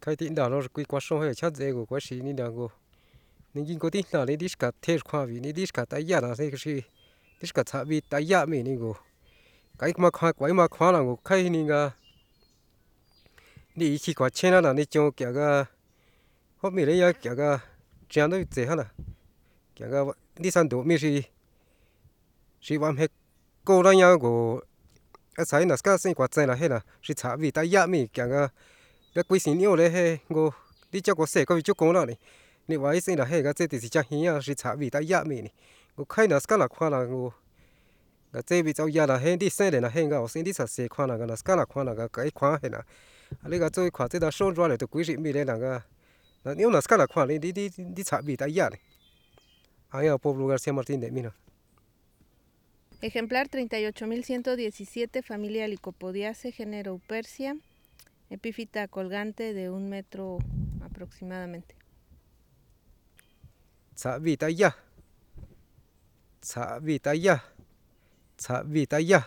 Kjaitindana kui kuaxon je chjatse ngo kuaxinina ngo ningui tijna ni ndixka tjexkjuabi ni ndixka tayana xi ndixka tsjabi taya m'íni ngo k'aekua k'uaima kjuana ngo kjaeni nga ndi'i kjuachjenana nichon k'ia nga jó m'íreña k'ia nga xi'an tse jánna k'ia nga ndisanto m'í xi b'amjekónaña ngu a naská s'aen kjuatsenna jénna xi tsja tayá m'í k'ia nga kui sin'íure je ngu ndicha kuse kjuabichukúnani niba'e s'aenre je nga tse tisichajiña xi tsja tayá m'íni ngu kjae naskána kjuana ngu nga tse bitsaoyana je ndisenre je nga s'aen ndisase kjuana nga naskána kjuana nga k'ae kjuan jena alí nga tsu kjua tse xú chuare tukui xi m'írena nga 'ñu naskána kjua ndi tsja tayáre. Aña Pablo García Martínez m'ína. Ejemplar 38.117, familia Lycopodiaceae, género Huperzia, epífita colgante de 1 metro aproximadamente. Tsja tayá, tsja tayá, tsja tayá.